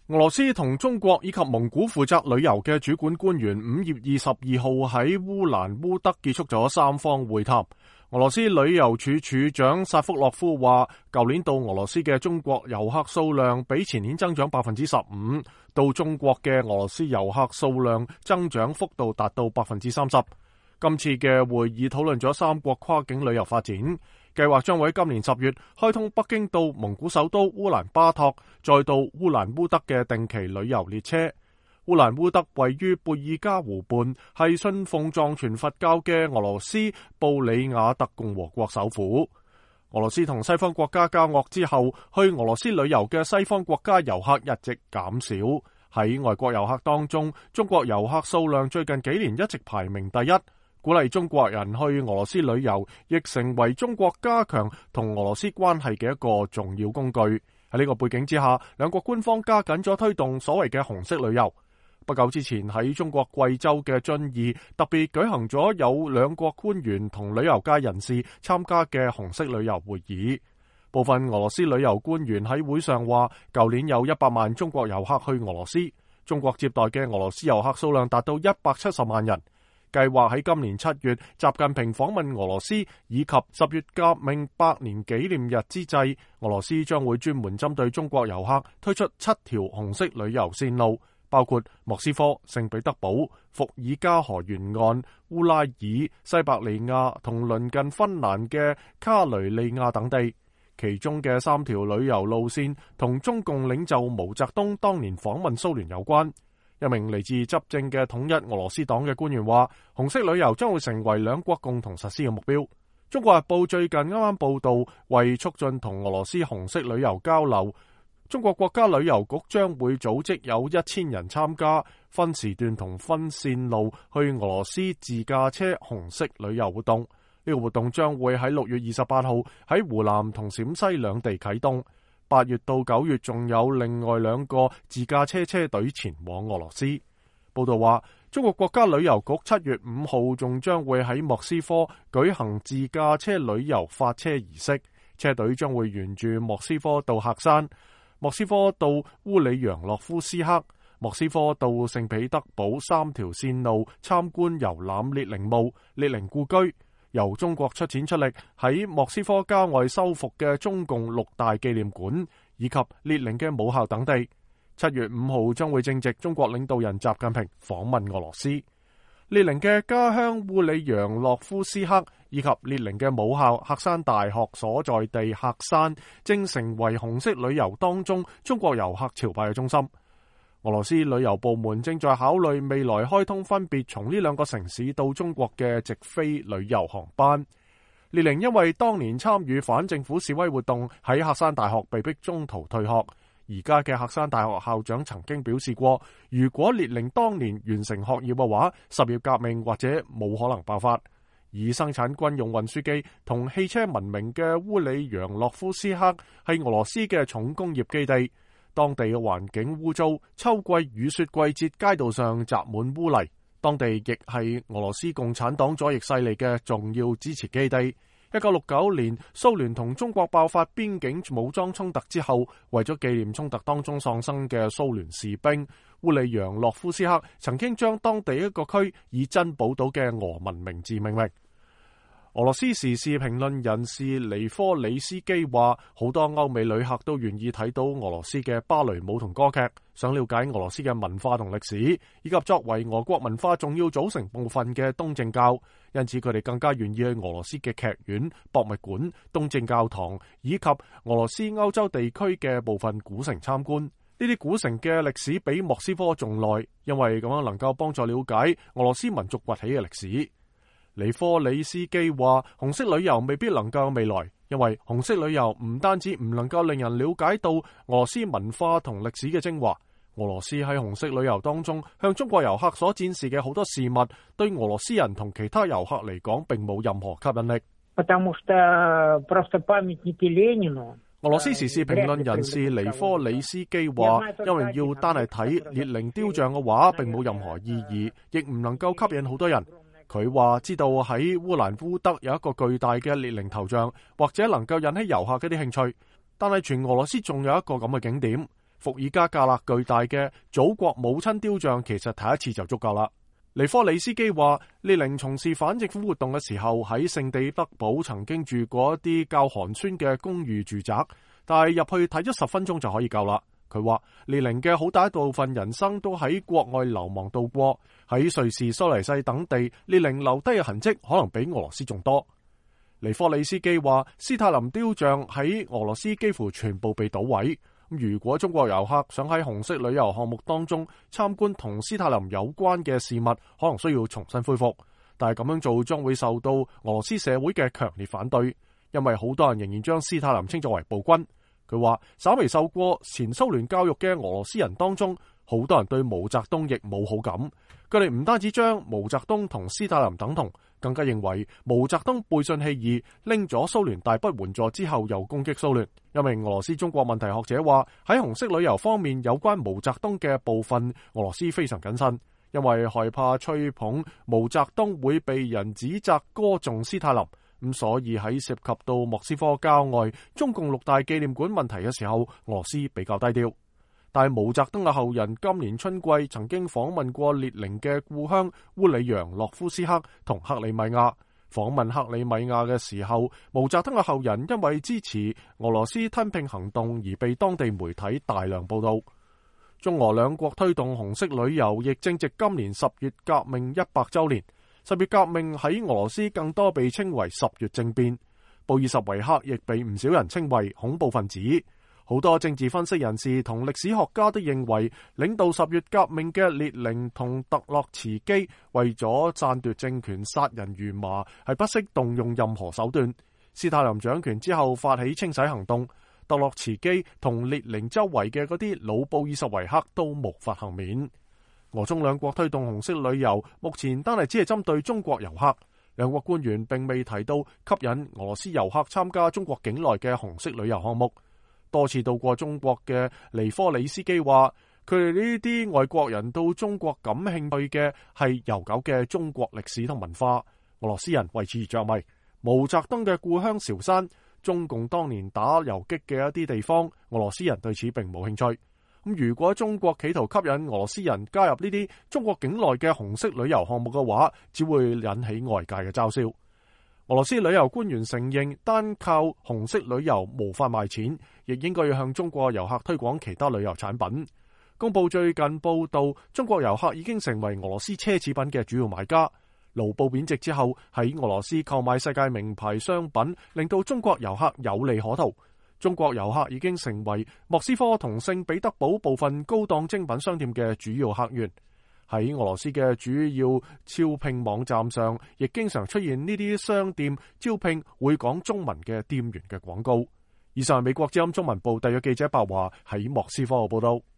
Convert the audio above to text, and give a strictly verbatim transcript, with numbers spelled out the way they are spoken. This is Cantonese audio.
俄羅斯同中國以及蒙古負責旅遊嘅主管官員五月二十二號喺烏蘭烏德結束咗三方會談。俄羅斯旅遊處處長薩福洛夫話，舊年到俄羅斯嘅中國遊客數量比前年增長百分之十五，到中國嘅俄羅斯遊客數量增長幅度達到百分之三十。今次嘅會議討論咗三國跨境旅遊發展，計劃將會喺今年十月開通北京到蒙古首都烏蘭巴托，再到烏蘭烏德嘅定期旅遊列車。烏蘭烏德位於貝爾加湖畔，係信奉藏傳佛教嘅俄羅斯布里亞特共和國首府。俄羅斯同西方國家交惡之後，去俄羅斯旅遊嘅西方國家遊客一直減少。喺外國遊客當中，中國遊客數量最近幾年一直排名第一。鼓勵中國人去俄羅斯旅遊，亦成為中國加強同俄羅斯關係嘅一個重要工具。喺呢個背景之下，兩國官方加緊咗推動所謂嘅紅色旅遊。不久之前喺中國貴州嘅遵義，特別舉行咗有兩國官員同旅遊界人士參加嘅紅色旅遊會議。部分俄羅斯旅遊官員喺會上話，舊年有一百萬中國遊客去俄羅斯，中國接待嘅俄羅斯遊客數量達到一百七十萬人。計劃喺今年七月，習近平訪問俄羅斯，以及十月革命百年紀念日之際，俄羅斯將會專門針對中國遊客推出七條紅色旅遊線路，包括莫斯科、聖彼得堡、伏爾加河沿岸、烏拉爾、西伯利亞同鄰近芬蘭嘅卡雷利亞等地。其中嘅三條旅遊路線同中共領袖毛澤東當年訪問蘇聯有關。一名嚟自執政嘅統一俄羅斯黨嘅官員話，紅色旅遊將會成為兩國共同實施嘅目標。中國日報最近啱啱報道，為促進同俄羅斯紅色旅遊交流，中國國家旅遊局將會組織有一千人參加，分時段同分線路去俄羅斯自駕車紅色旅遊活動。呢、這個活動將會喺六月二十八號喺湖南同陝西兩地啟動。八月到九月仲有另外兩個自駕車車隊前往俄羅斯。報道話，中國國家旅遊局七月五號仲將會喺莫斯科舉行自駕車旅遊發車儀式，車隊將會沿住莫斯科到喀山、莫斯科到烏里揚洛夫斯克、莫斯科到聖彼得堡三條線路參觀遊覽列寧墓、列寧故居。由中國出錢出力喺莫斯科郊外修復嘅中共六大紀念館，以及列寧嘅母校等地。七月五號將會正值中國領導人習近平訪問俄羅斯。列寧嘅家鄉烏里揚洛夫斯克以及列寧嘅母校喀山大學所在地喀山，正成為紅色旅遊當中中國遊客朝拜嘅中心。俄羅斯旅遊部門正在考慮未來開通分別從呢兩個城市到中國嘅直飛旅遊航班。列寧因為當年參與反政府示威活動，喺喀山大學被逼中途退學。而家嘅喀山大學校長曾經表示過，如果列寧當年完成學業嘅話，十月革命或者冇可能爆發。以生產軍用運輸機同汽車聞名嘅烏里揚洛夫斯克係俄羅斯嘅重工業基地。當地嘅環境污糟，秋季雨雪季節街道上積滿污泥。當地亦係俄羅斯共產黨左翼勢力嘅重要支持基地。一九六九年蘇聯同中國爆發邊境武裝衝突之後，為咗紀念衝突當中喪生嘅蘇聯士兵，烏里揚洛夫斯克曾經將當地一個區以珍寶島嘅俄文名字命名。俄羅斯時事評論人士尼科里斯基話，好多歐美旅客都願意睇到俄羅斯嘅芭蕾舞同歌劇，想了解俄羅斯嘅文化同歷史，以及作為俄國文化重要組成部分嘅東正教，因此佢哋更加願意去俄羅斯嘅劇院、博物館、東正教堂，以及俄羅斯歐洲地區嘅部分古城參觀。呢啲古城嘅歷史比莫斯科仲耐，因為咁樣能夠幫助了解俄羅斯民族崛起嘅歷史。尼科里斯基話，紅色旅遊未必能夠有未來，因為紅色旅遊唔單止唔能夠令人了解到俄羅斯文化同歷史嘅精華，俄羅斯喺紅色旅遊當中向中國遊客所展示嘅好多事物，對俄羅斯人同其他遊客嚟講並冇任何吸引力。俄羅斯時事評論人士尼科里斯基話，因為要單係睇列寧雕像嘅話，並冇任何意義，亦唔能夠吸引好多人。佢話知道喺烏蘭烏德有一個巨大嘅列寧頭像，或者能夠引起遊客嘅啲興趣，但係全俄羅斯仲有一個咁嘅景點，伏爾加格勒巨大嘅祖國母親雕像其實睇一次就足夠啦。尼科里斯基話，列寧從事反政府活動嘅時候喺聖彼得堡曾經住過一啲較寒酸嘅公寓住宅，但係入去睇咗十分鐘就可以夠啦。佢話列寧嘅好大一部分人生都喺國外流亡度過，喺瑞士、蘇黎世等地，列寧留低嘅痕跡可能比俄羅斯仲多。尼科里斯基話，斯泰林雕像喺俄羅斯幾乎全部被搗毀。如果中國遊客想喺紅色旅遊項目當中參觀同斯泰林有關嘅事物，可能需要重新恢復，但係咁樣做將會受到俄羅斯社會嘅強烈反對，因為好多人仍然將斯泰林稱作為暴君。佢話，稍微受過前蘇聯教育嘅俄羅斯人當中，好多人對毛澤東亦冇好感。佢哋唔單止將毛澤東同斯大林等同，更加認為毛澤東背信棄義，拎咗蘇聯大筆援助之後又攻擊蘇聯。一名俄羅斯中國問題學者話，喺紅色旅遊方面有關毛澤東嘅部分，俄羅斯非常謹慎，因為害怕吹捧毛澤東會被人指責歌頌斯大林。咁所以喺涉及到莫斯科郊外中共六大紀念館問題嘅時候，俄羅斯比較低調。但係毛澤東嘅後人今年春季曾經訪問過列寧嘅故鄉烏里揚諾夫斯克同克里米亞。訪問克里米亞嘅時候，毛澤東嘅後人因為支持俄羅斯吞併行動而被當地媒體大量報道。中俄兩國推動紅色旅遊，亦正值今年十月革命一百周年。十月革命喺俄羅斯更多被稱為十月政變，布爾什維克亦被唔少人稱為恐怖分子。好多政治分析人士同歷史學家都認為，領導十月革命嘅列寧同特洛茨基為咗篡奪政權殺人如麻，係不惜動用任何手段。斯大林掌權之後發起清洗行動，特洛茨基同列寧周圍嘅嗰啲老布爾什維克都無法幸免。俄中兩國推動紅色旅遊，目前單係只係針對中國遊客。兩國官員並未提到吸引俄羅斯遊客參加中國境內嘅紅色旅遊項目。多次到過中國嘅尼科里斯基話，佢哋呢啲外國人到中國感興趣嘅係悠久嘅中國歷史同文化。俄羅斯人為此而着迷。毛澤東嘅故鄉韶山，中共當年打游擊嘅一啲地方，俄羅斯人對此並冇興趣。咁如果中國企圖吸引俄羅斯人加入呢啲中國境內嘅紅色旅遊項目嘅話，只會引起外界嘅嘲笑。俄羅斯旅遊官員承認，單靠紅色旅遊無法賣錢，亦應該要向中國遊客推廣其他旅遊產品。公報最近報道，中國遊客已經成為俄羅斯奢侈品嘅主要買家。盧布貶值之後，喺俄羅斯購買世界名牌商品，令到中國遊客有利可圖。中國遊客已經成為莫斯科同聖彼得堡部分高檔精品商店嘅主要客源。喺俄羅斯嘅主要招聘網站上，亦經常出現呢啲商店招聘會講中文嘅店員嘅廣告。以上係美國之音中文部特約記者白華喺莫斯科嘅報道。